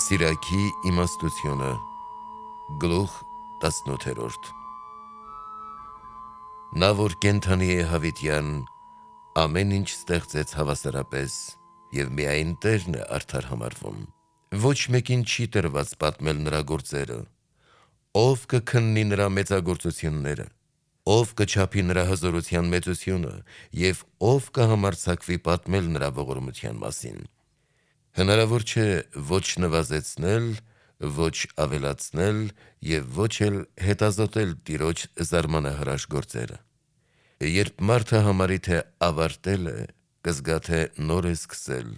Սիրակի իմաստությունը Գլուխ 18 Նա որ կենդանի է հավիտյան, ամեն ինչ ստեղծեց հավասարապես, և միայն Տերն է արդար համարվում։ Ոչ մեկին չի տրված պատմել նրա գործերը, ով կքննի նրա մեծագործությունները, ով կչափի նրա հզորության մեծությունը, և ով կհամարձակվի պատմել նրա ողորմության մասին։ Հնարավոր չէ ոչ նվազեցնել, ոչ ավելացնել և ոչ էլ հետազոտել Տիրոջ զարմանահրաշ գործերը։ Երբ մարդը համարի, թե ավարտել է, կզգա, թե նոր է սկսել,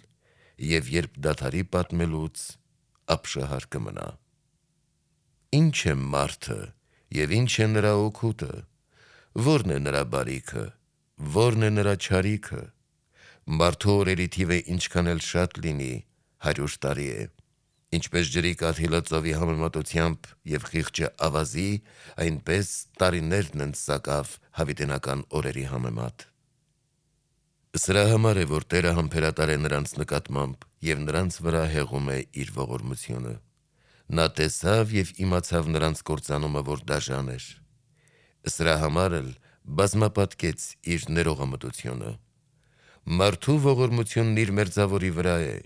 և երբ դադարի պատմելուց, ապշահար կմնա։ Ինչ է մարդը և ինչ է նրա օգուտը, ո՞րն է նրա բարիքը, ո՞րն է նրա չարիքը։ Մարդու օրերի թիվը ինչքան էլ շատ լինի, 100 տարի է։ Ինչպես ջրի կաթիլը ծովի համեմատությամբ և խիղճը ավազի, այնպես տարիներն են սակավ հավիտենական օրերի համեմատ։ Սրա համար է, որ Տերը համբերատար է նրանց նկատմամբ և նրանց վրա հեղում է իր ողորմությունը։ Նա տեսավ և իմացավ նրանց կործանումը, որ դաժան էր։ Սրա համար էլ բազմապատկեց իր ներողամտությունը։ Մարդու ողորմությունն իր մերձավորի վրա է,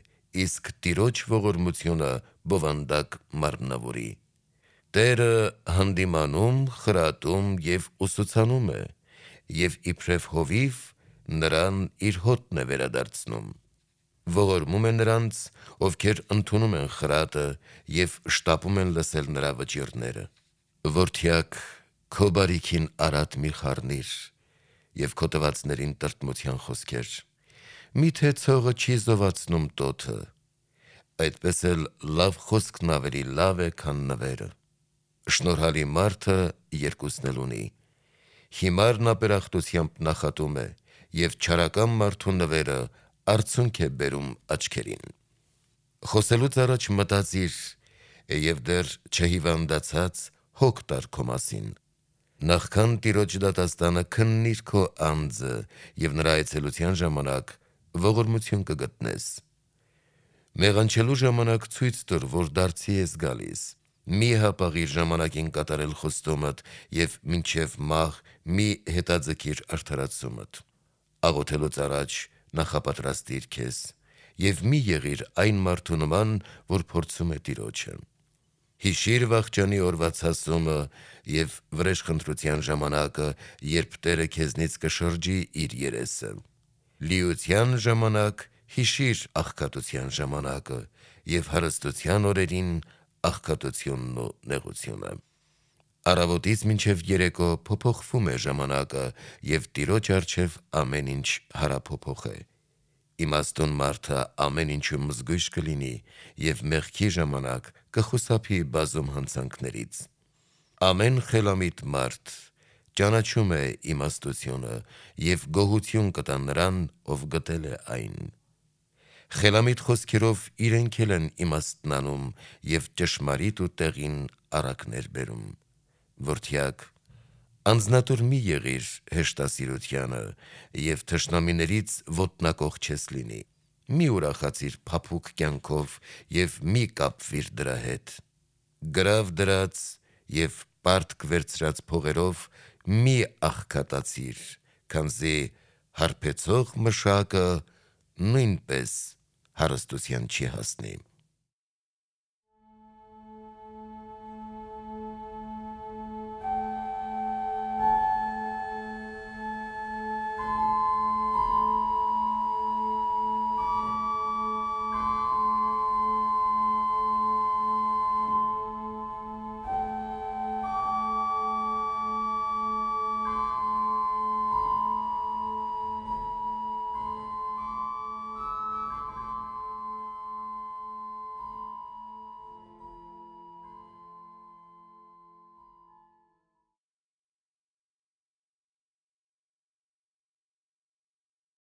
իսկ Տիրոջ ողորմությունը բովանդակ մարմնավորի։ Տերը հանդիմանում, խրատում և ուսուցանում է, և իբրև հովիվ նրան իր հոտն է վերադարձնում։ Ողորմում է նրանց, ովքեր ընդունում են խրատը և շտապում են լսել նրա վճիռները։ Որդյակ, քո բարիքին արատ մի խառնիր և քո տվածներին տրտմության խոսքեր։ Միթե ցողը չի զովացնում տոթը, այդպես էլ լավ խոսքն ավելի լավ է, քան նվերը։ Շնորհալի մարդը երկուսն էլ ունի. հիմարն ապերախտությամբ նախատում է, և չարական մարդու նվերը արցունք է բերում աչքերին։ Խոսելուց առաջ մտածիր, և դեռ չհիվանդացած հոգ տար քո մասին։ Նախքան Տիրոջ դատաստանը քննիր քո անձը և նրա այցելության ժամանակ ողորմություն կգտնես։ Մեղանչելու ժամանակ ցույց տուր, որ դարձի ես գալիս։ Մի հապաղիր ժամանակին կատարել խոստումդ և մինչև մահ մի հետաձգիր արդարացումդ։ Աղոթելուց առաջ նախապատրաստիր քեզ և մի եղիր այն մարդու նման, որ փորձում է Տիրոջը։ Հիշիր վախճանի օրվա ցասումը և վրեժխնդրության ժամանակը, երբ Տերը քեզնից կշրջի իր երեսը։ Լիության ժամանակ հիշիր աղքատության ժամանակը և հարստության օրերին աղքատությունն ու նեղությունը։ Առավոտից մինչև երեկո փոփոխվում է ժամանակը, և Տիրոջ առջև ամեն ինչ հարափոփոխ է։ Իմաստուն մարդը ամեն ինչում զգույշ կլինի և մեղքի ժամանակ կխուսափի բազում հանցանքներից։ Ամեն խելամիտ մարդ ճանաչում է իմաստությունը և գոհություն կտա նրան, ով գտել է այն։ Խելամիտ խոսքերով իրենք էլ են իմաստն անում և ճշմարիտ ու տեղին առակներ բերում։ Որդյակ, անձնատուր մի եղիր հեշտասիրությանը և թշնամիներից ոտնակոխ չես լինի։ Մի ուրախացիր փափուկ կյանքով և մի կապվիր դրա հետ։ Գրավ դրած և պարտք վերցրած փողերով մի աղքատացիր, քանզի հարբեցող մշակը նույնպես հարստության չի հասնի։